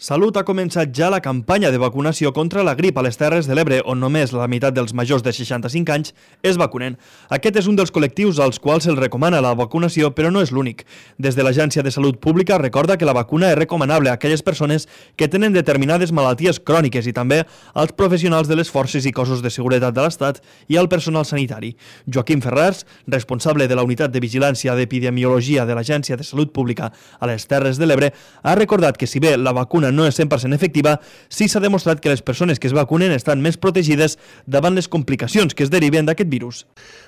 Salut ha començat ja la campanya de vacunació contra la grip a les Terres de l'Ebre, on només la meitat dels majors de 65 anys es vacunen. Aquest és un dels col·lectius als quals se'ls recomana la vacunació, però no és l'únic. Des de l'Agència de Salut Pública recorda que la vacuna és recomanable a aquelles persones que tenen determinades malalties cròniques i també als professionals de les forces i cossos de seguretat de l'Estat i al personal sanitari. Joaquim Ferrars, responsable de la Unitat de Vigilància d'Epidemiologia de l'Agència de Salut Pública a les Terres de l'Ebre, ha recordat que si bé la vacuna no és 100% efectiva, sí s'ha demostrat que les persones que es vacunen estan més protegides davant les complicacions que es deriven d'aquest virus.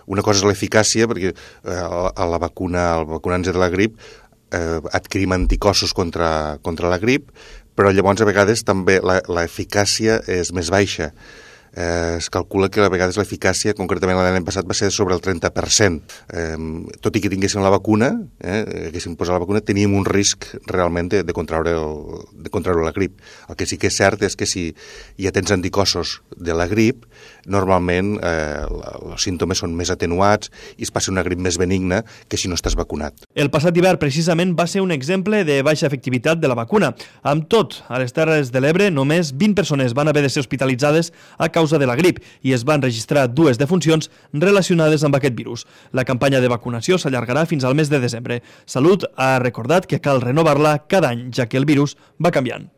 Una cosa és l'eficàcia, perquè el vacunant-se de la grip adquirim anticossos contra la grip, però llavors a vegades també l'eficàcia és més baixa. Es calcula que a vegades l'eficàcia, concretament l'any passat, va ser sobre el 30%. Tot i que tinguéssim la vacuna, haguéssim posat la vacuna, teníem un risc realment de contraure la grip. El que sí que és cert és que si ja tens anticossos de la grip, normalment els símptomes són més atenuats i es passa una grip més benigna que si no estàs vacunat. El passat hivern, precisament, va ser un exemple de baixa efectivitat de la vacuna. Amb tot, a les Terres de l'Ebre, només 20 persones van haver de ser hospitalitzades a causa de la grip i es van registrar 2 defuncions relacionades amb aquest virus. La campanya de vacunació s'allargarà fins al mes de desembre. Salut ha recordat que cal renovar-la cada any, ja que el virus va canviant.